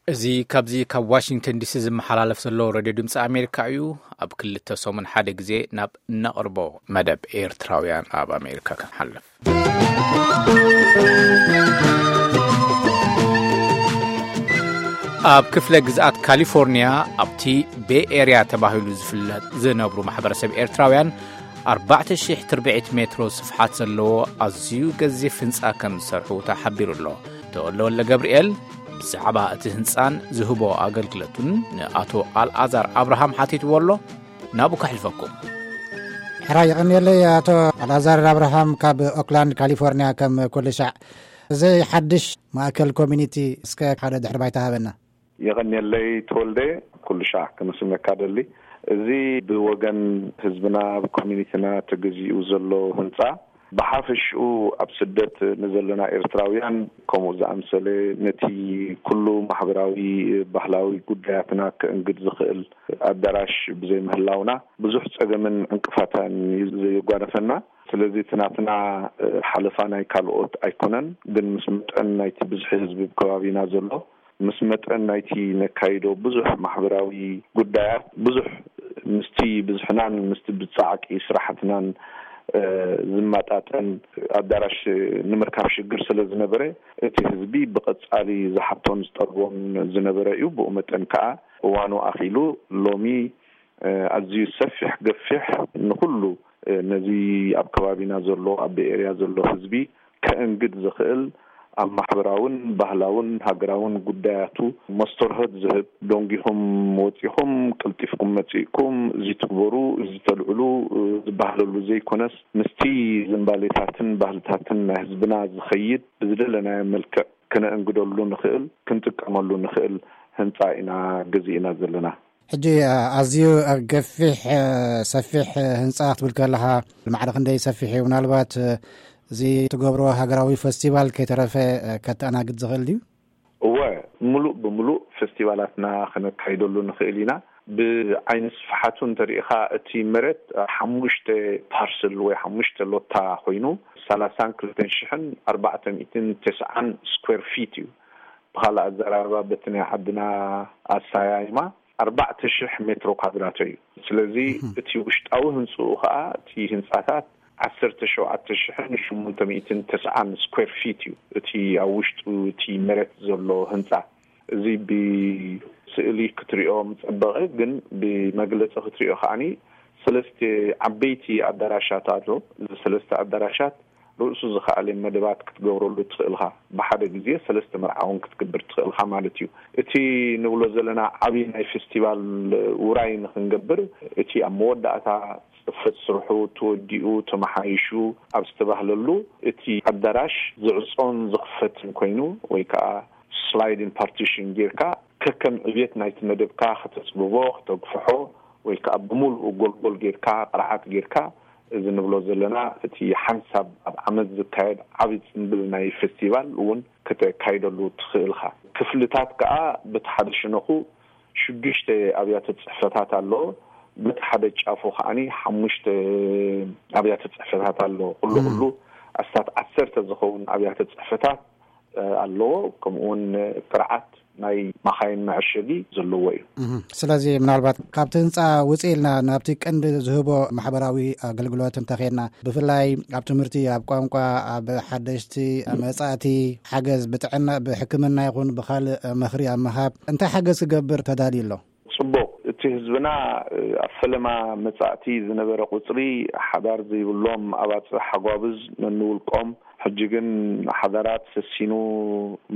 እዚ ካብዚ ካብ ዋሽንግተን ዲሲ ዝመሓላለፍ ዘሎ ሬድዮ ድምፂ ኣሜሪካ እዩ። ኣብ ክልተ ሰሙን ሓደ ግዜ ናብ እነቕርቦ መደብ ኤርትራውያን ኣብ ኣሜሪካ ክንሓልፍ። ኣብ ክፍለ ግዝኣት ካሊፎርኒያ ኣብቲ ቤ ኤርያ ተባሂሉ ዝፍለጥ ዝነብሩ ማሕበረሰብ ኤርትራውያን ኣርባዕተ ሽሕ ትርብዒት ሜትሮ ስፍሓት ዘለዎ ኣዝዩ ገዚፍ ህንጻ ከም ዝሰርሑ ተሓቢሩ ኣሎ። ተወልደ ወልደ ገብርኤል ብዛዕባ እቲ ህንጻን ዝህቦ ኣገልግሎትን ንኣቶ ኣልኣዛር ኣብርሃም ሓቲትዎ ኣሎ። ናብኡ ከሕልፈኩም። ሕራይ የቐንየለይ ኣቶ ኣልኣዛር ኣብርሃም ካብ ኦክላንድ ካሊፎርኒያ። ከም ኩሉ ሻዕ እዚ ሓድሽ ማእከል ኮሚኒቲ እስከ ሓደ ድሕሪ ባይታ ሃበና። የቐንየለይ ተወልደ፣ ኩሉ ሻዕ ክምስነካ ደሊ። እዚ ብወገን ህዝብና ብኮሚኒቲና ተገዚኡ ዘሎ ህንጻ ብሓፈሽኡ ኣብ ስደት ንዘለና ኤርትራውያን ከምኡ ዝኣምሰለ ነቲ ኩሉ ማሕበራዊ ባህላዊ ጉዳያትና ከእንግድ ዝኽእል ኣዳራሽ ብዘይምህላውና ብዙሕ ጸገምን ዕንቅፋታን እዩ ዘየጓነፈና። ስለዚ እቲ ናትና ሓለፋ ናይ ካልኦት ኣይኮነን፣ ግን ምስ መጠን ናይቲ ብዝሒ ህዝቢ ከባቢና ዘሎ ምስ መጠን ናይቲ ነካይዶ ብዙሕ ማሕበራዊ ጉዳያት ብዙሕ ምስቲ ብዝሕናን ምስቲ ብጻዕቂ ስራሕትናን ዝመጣጠን ኣዳራሽ ንምርካብ ሽግር ስለ ዝነበረ እቲ ህዝቢ ብቐጻሊ ዝሓቶን ዝጠልቦን ዝነበረ እዩ። ብኡ መጠን ከዓ እዋኑ ኣኺሉ ሎሚ ኣዝዩ ሰፊሕ ገፊሕ ንኹሉ ነዚ ኣብ ከባቢና ዘሎ ኣብ ቤኤርያ ዘሎ ህዝቢ ከእንግድ ዝኽእል ኣብ ማሕበራውን ባህላውን ሃገራውን ጉዳያቱ መስተርሆት ዝህብ፣ ደንጊኹም ወጺኹም ቀልጢፍኩም መጺእኩም እዚ ትግበሩ እዚ ተልዕሉ ዝበሃለሉ ዘይኮነስ ምስቲ ዝንባሌታትን ባህልታትን ናይ ህዝብና ዝኸይድ ብዝደለናዮ መልክዕ ክነእንግደሉ ንኽእል ክንጥቀመሉ ንኽእል ህንፃ ኢና ገዚእና ዘለና። ሕጂ ኣዝዩ ገፊሕ ሰፊሕ ህንፃ ክትብል ከለኻ ማዕረ ክንደይ ሰፊሕ እዩ? ምናልባት እዚ ትገብሮ ሃገራዊ ፈስቲቫል ከይተረፈ ከተኣናግድ ዝኽእል ድዩ? እወ፣ ምሉእ ብምሉእ ፈስቲቫላትና ክነካይደሉ ንኽእል ኢና። ብዓይኒ ስፍሓቱ እንተሪኢኻ እቲ መሬት ሓሙሽተ ፓርስል ወይ ሓሙሽተ ሎታ ኮይኑ ሰላሳን ክልተን ሽሕን ኣርባዕተ ሚእትን ተስዓን ስኩዌር ፊት እዩ። ብኻልእ ኣዘራርባ በቲ ናይ ዓድና ኣሰያይማ ኣርባዕተ ሽሕ ሜትሮ ኳድራቶ እዩ። ስለዚ እቲ ውሽጣዊ ህንፅኡ ከዓ እቲ ህንፃታት ዓሰርተ ሸውዓተ ሽሕን ሸሞንተ ሚእትን ተስዓን ስኩዌር ፊት እዩ እቲ ኣብ ውሽጡ እቲ መሬት ዘሎ ህንፃ። እዚ ብስእሊ ክትሪኦ ምፀበቐ፣ ግን ብመግለፂ ክትሪኦ ከዓኒ ሰለስተ ዓበይቲ ኣዳራሻት ኣሎ። እዚ ሰለስተ ኣዳራሻት ርእሱ ዝኸኣለ መደባት ክትገብረሉ ትኽእልኻ። ብሓደ ግዜ ሰለስተ መርዓ እውን ክትግብር ትኽእልኻ ማለት እዩ። እቲ ንብሎ ዘለና ዓብዪ ናይ ፌስቲቫል ውራይ ንኽንገብር እቲ ኣብ መወዳእታ ፅፈት ስርሑ ተወዲኡ ተመሓይሹ ኣብ ዝተባህለሉ እቲ ኣዳራሽ ዝዕፆን ዝኽፈትን ኮይኑ ወይ ከዓ ስላይዲን ፓርቲሽን ጌርካ ከከም ዕብየት ናይቲ መደብካ ከተፅብቦ፣ ከተግፍሖ ወይ ከዓ ብምሉኡ ጎልጎል ጌርካ ቅርዓት ጌርካ እዚ ንብሎ ዘለና እቲ ሓንሳብ ኣብ ዓመት ዝካየድ ዓብዪ ፅንብል ናይ ፌስቲቫል እውን ከተካይደሉ ትኽእልኻ። ክፍልታት ከዓ በቲ ሓደ ሽነኹ ሽዱሽተ ኣብያተ ፅሕፈታት ኣለዎ። በቲ ሓደ ጫፉ ከዓኒ ሓሙሽተ ኣብያተ ፅሕፈታት ኣለዎ። ኩሉ ኩሉ ኣስታት ዓሰርተ ዝኸውን ኣብያተ ፅሕፈታት ኣለዎ። ከምኡውን ቅርዓት ናይ ማኻይን መዐሸጊ ዘለዎ እዩ። ስለዚ ምናልባት ካብቲ ህንፃ ውፅእ ኢልና ናብቲ ቀንዲ ዝህቦ ማሕበራዊ ኣገልግሎት እንተኸድና፣ ብፍላይ ኣብ ትምህርቲ፣ ኣብ ቋንቋ፣ ኣብ ሓደሽቲ መፃእቲ ሓገዝ ብጥዕና ብሕክምና ይኹን ብካልእ ምኽሪ ኣብ ምሃብ እንታይ ሓገዝ ክገብር ተዳልዩ ኣሎ? ፅቡቕ። እቲ ህዝብና ኣብ ፈለማ መፃእቲ ዝነበረ ቁፅሪ ሓዳር ዘይብሎም ኣባፅሕ ሓጓብዝ ነንውልቆም፣ ሕጂ ግን ሓዳራት ሰሲኑ፣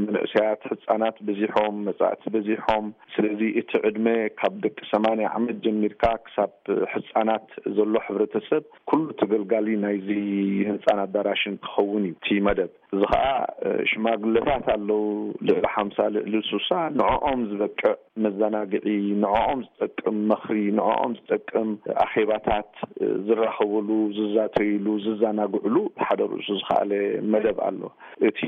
መንእሰያት ህፃናት በዚሖም፣ መፃእቲ በዚሖም። ስለዚ እቲ ዕድመ ካብ ደቂ ሰማንያ ዓመት ጀሚርካ ክሳብ ህፃናት ዘሎ ሕብረተሰብ ኩሉ ተገልጋሊ ናይዚ ህንፃን ኣዳራሽን ክኸውን እዩ እቲ መደብ። እዚ ኸዓ ሽማግለታት ኣለዉ፣ ልዕሊ ሓምሳ ልዕሊ ሱሳ፣ ንዕኦም ዝበቅዕ መዘናግዒ፣ ንዕኦም ዝጠቅም ምኽሪ፣ ንዕኦም ዝጠቅም ኣኼባታት ዝራኸብሉ፣ ዝዛተይሉ፣ ዝዘናግዕሉ ሓደ ርእሱ ዝኸኣለ መደብ ኣሎ። እቲ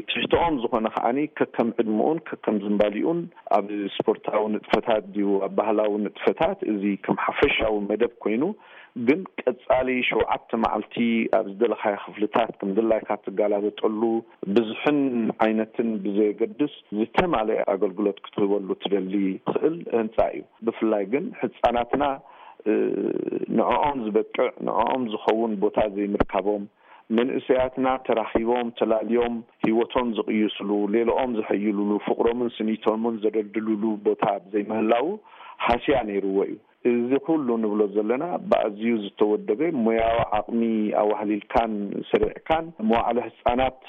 ትሕትኦም ዝኾነ ከዓኒ ከከም ዕድመኡን ከከም ዝንባሊኡን ኣብ ስፖርታዊ ንጥፈታት ድዩ ኣብ ባህላዊ ንጥፈታት፣ እዚ ከም ሓፈሻዊ መደብ ኮይኑ፣ ግን ቀጻሊ ሸውዓተ መዓልቲ ኣብ ዝደለኻዮ ክፍልታት ከም ድላይካ ትጋላበጠሉ፣ ብዝሕን ዓይነትን ብዘየገድስ ዝተማለአ ኣገልግሎት ክትህበሉ ትደሊ ትኽእል ህንጻ እዩ። ብፍላይ ግን ህጻናትና ንዕኦም ዝበቅዕ ንዕኦም ዝኸውን ቦታ ዘይምርካቦም፣ መንእሰያትና ተራኺቦም ተላልዮም ህይወቶም ዝቕይስሉ፣ ሌላኦም ዘሐይሉሉ፣ ፍቕሮምን ስኒቶምን ዘደልድሉሉ ቦታ ዘይምህላዉ ሃስያ ነይርዎ እዩ። እዚ ኩሉ ንብሎ ዘለና ብኣዝዩ ዝተወደበ ሞያዊ ዓቕሚ ኣዋህሊልካን ሰሪዕካን መዋዕለ ህጻናት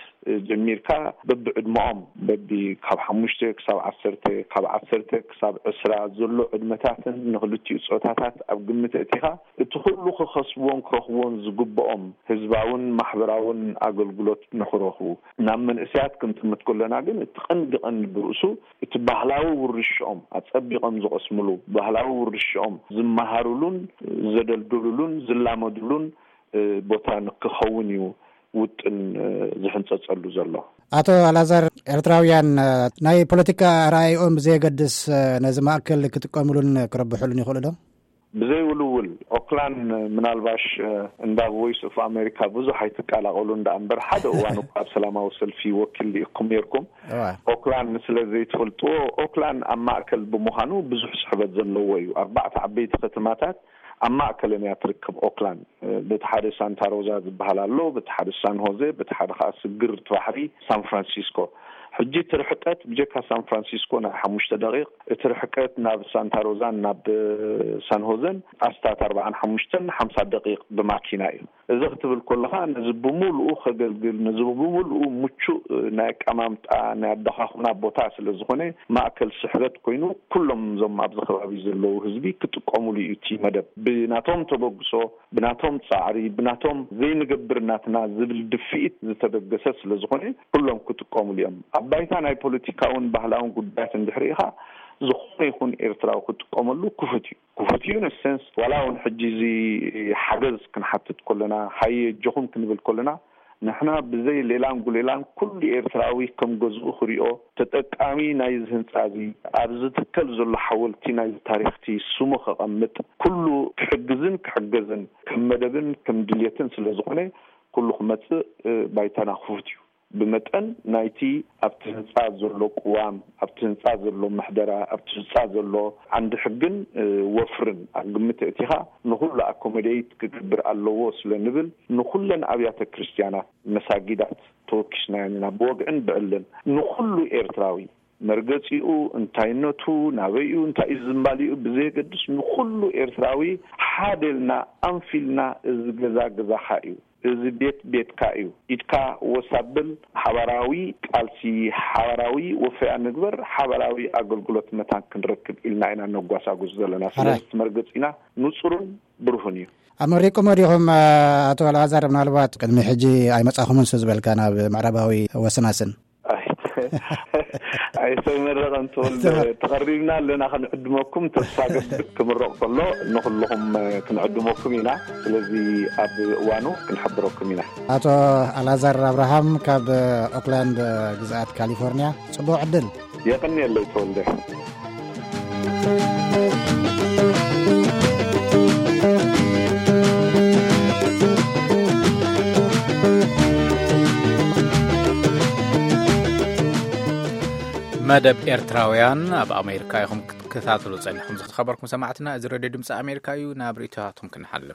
ጀሚርካ በብዕድመኦም በቢ ካብ ሓሙሽተ ክሳብ ዓሰርተ ካብ ዓሰርተ ክሳብ ዕስራ ዘሎ ዕድመታትን ንክልቲኡ ጾታታት ኣብ ግምት ኣእቲኻ እቲ ኩሉ ክኸስብዎን ክረኽብዎን ዝግብኦም ህዝባውን ማሕበራውን ኣገልግሎት ንክረኽቡ ናብ መንእሰያት ክንጥምት ከለና ግን እቲ ቀንዲ ቀንዲ ብርእሱ እቲ ባህላዊ ውርሻኦም ኣጸቢቖም ዝቐስምሉ ባህላዊ ውርሻኦም ዝመሃሩሉን ዘደልድሉሉን ዝላመዱሉን ቦታ ንክኸውን እዩ ውጥን ዝሕንጸጸሉ ዘሎ። ኣቶ ኣላዛር፣ ኤርትራውያን ናይ ፖለቲካ ኣረኣይኦም ብዘየገድስ ነዚ ማእከል ክጥቀምሉን ክረብሕሉን ይኽእሉ ዶ? ብዘይ ውልውል ኦክላንድ ምናልባሽ እንዳ ቮይስ ኦፍ ኣሜሪካ ብዙሕ ኣይትቀላቐሉ እንዳ እምበር ሓደ እዋን እኳ ኣብ ሰላማዊ ሰልፊ ወኪል ዲኢኩም ነርኩም። ኦክላንድ ስለ ዘይትፈልጥዎ ኦክላንድ ኣብ ማእከል ብምዃኑ ብዙሕ ስሕበት ዘለዎ እዩ። ኣርባዕተ ዓበይቲ ከተማታት ኣብ ማእከለን እያ ትርከብ ኦክላንድ። በቲ ሓደ ሳንታ ሮዛ ዝበሃል ኣሎ፣ በቲ ሓደ ሳን ሆዜ፣ በቲ ሓደ ከዓ ስግር እቲ ባሕሪ ሳን ፍራንሲስኮ። ሕጂ እቲ ርሕቀት ብጀካ ሳን ፍራንሲስኮ ናይ ሓሙሽተ ደቂቕ፣ እቲ ርሕቀት ናብ ሳንታ ሮዛን ናብ ሳን ሆዘን ኣስታት ኣርባዓን ሓሙሽተን ሓምሳ ደቂቕ ብማኪና እዩ። እዚ ክትብል ከለኻ ነዚ ብምሉኡ ከገልግል፣ ነዚ ብምሉኡ ምቹእ ናይ ኣቀማምጣ ናይ ኣደኻኹና ቦታ ስለ ዝኾነ ማእከል ስሕበት ኮይኑ ኩሎም እዞም ኣብዚ ከባቢ ዘለዉ ህዝቢ ክጥቀሙሉ እዩ እቲ መደብ። ብናቶም ተበግሶ፣ ብናቶም ጻዕሪ፣ ብናቶም ዘይንገብር ናትና ዝብል ድፍኢት ዝተበገሰ ስለ ዝኾነ ኩሎም ክጥቀሙሉ እዮም። ኣብ ባይታ ናይ ፖለቲካውን ባህላውን ጉዳያት እንድሕሪ ኢኻ ዝኾነ ይኹን ኤርትራዊ ክጥቀመሉ ክፉት እዩ። ክፉት እዩ። ንሰንስ ዋላ እውን ሕጂ እዚ ሓገዝ ክንሓትት ከለና ሃየ ኣጆኹም ክንብል ከለና ንሕና ብዘይ ሌላን ጉሌላን ኩሉ ኤርትራዊ ከም ገዝኡ ክሪኦ ተጠቃሚ ናይዚ ህንጻ እዚ ኣብ ዝትከል ዘሎ ሓወልቲ ናይዚ ታሪኽቲ ስሙ ከቐምጥ ኩሉ ክሕግዝን ክሕገዝን ከም መደብን ከም ድልየትን ስለ ዝኾነ ኩሉ ክመጽእ ባይታና ክፉት እዩ። ብመጠን ናይቲ ኣብቲ ህንጻ ዘሎ ቅዋም፣ ኣብቲ ህንጻ ዘሎ ምሕደራ፣ ኣብቲ ህንጻ ዘሎ ዓንዲ ሕግን ወፍርን ኣብ ግምት ኣእቲኻ ንኹሉ ኣኮሞዴይት ክገብር ኣለዎ ስለ ንብል ንኹለን ኣብያተ ክርስትያናት፣ መሳጊዳት ተወኪስናየን ኢና ብወግዕን ብዕልን ንኹሉ ኤርትራዊ መርገጺኡ፣ እንታይነቱ፣ ናበይኡ፣ እንታይ እዩ ዝንባሊኡ ብዘየገድስ ንኹሉ ኤርትራዊ ሓደ ኢልና ኣንፊልና እዚ ገዛ ገዛኻ እዩ። እዚ ቤት ቤትካ እዩ። ኢድካ ወሳብል ሓባራዊ ቃልሲ፣ ሓባራዊ ወፈያ ንግበር፣ ሓባራዊ ኣገልግሎት መታን ክንረክብ ኢልና ኢና ነጓሳጉስ ዘለና። ስለዚ እቲ መርገጺና ንጹርን ብሩህን እዩ። ኣመሪቁሞ ዲኹም ኣቶ ኣልኣዛር? ምናልባት ቅድሚ ሕጂ ኣይመጻኹምን ሱ ዝበልካ ናብ ምዕራባዊ ወስናስን ኣይተመረቐን ተወልደ። ተቐሪብና ኣለና ክንዕድመኩም። ተስፋ ገብር ክምረቕ ከሎ ንኹልኹም ክንዕድመኩም ኢና። ስለዚ ኣብ እዋኑ ክንሕብረኩም ኢና። ኣቶ ኣላዛር ኣብርሃም ካብ ኦክላንድ ግዝኣት ካሊፎርኒያ፣ ጽቡቕ ዕድል። የቐንየለይ ተወልደ። መደብ ኤርትራውያን ኣብ ኣሜሪካ ኢኹም ክትከታተሉ ጸኒሕኩም። ዝተኸበርኩም ሰማዕትና፣ እዚ ሬድዮ ድምፂ ኣሜሪካ እዩ። ናብ ርእይቶታትኩም ክንሓልፍ።